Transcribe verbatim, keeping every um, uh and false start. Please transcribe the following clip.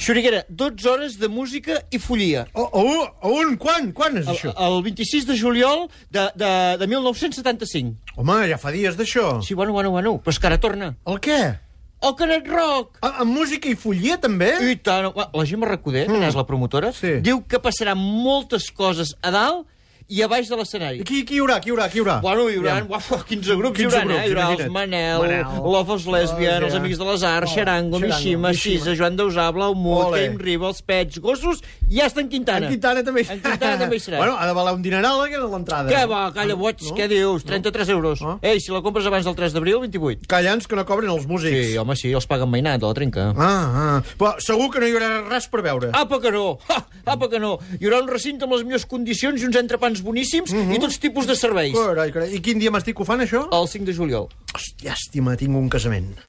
Xuriguera, dotze hores de música i follia. Oh, oh, on? Quan? Quan és El, això? el vint-i-sis de juliol de, de, de mil nou-cents setanta-cinc. Home, ja fa dies d'això. Sí, bueno, bueno, bueno, però és que ara torna. El què? El Canet Rock! A, amb música i follia, també? I tant. La Gemma Recoder, que és la promotora, Sí. diu que passaran moltes coses a dalt i a baix de l'escenari. I qui, qui hi haurà? Qui hi haurà? Qui hi haurà? Bueno, hi haurà uaf, quinze grups, quinze hi haurà, grups, eh? Hi haurà els imagina't. Manel, Manel, Love of Lesbian, oh, els ja. Amics de les Arts, Oh, Xarango, Xarango, Mishima, Mishima. Xisa, Joan Dausà, Blaumut, Ole. Game Riba, els Pets, Gossos, i ja està en Quintana. En Quintana també. En Quintana també hi serà. Bueno, ha de valer un dineral, eh, l'entrada. Què va, calla, boig, No? què dius? trenta-tres euros. No? Ei, si la compres abans del tres d'abril, vint-i-vuit. Callants que no cobren els músics. Sí, home, sí, els paguen mainat, a la trenca. Ah, ah. Però segur que no hi haurà res per veure. Apa que no! Ha, apa que no! Hi haurà un recinte amb les millors condicions i uns entrepans boníssims i tots tipus de serveis. Carai, carai. I quin dia m'estic ho fan, això? El cinc de juliol. Hòstia, llàstima, tinc un casament.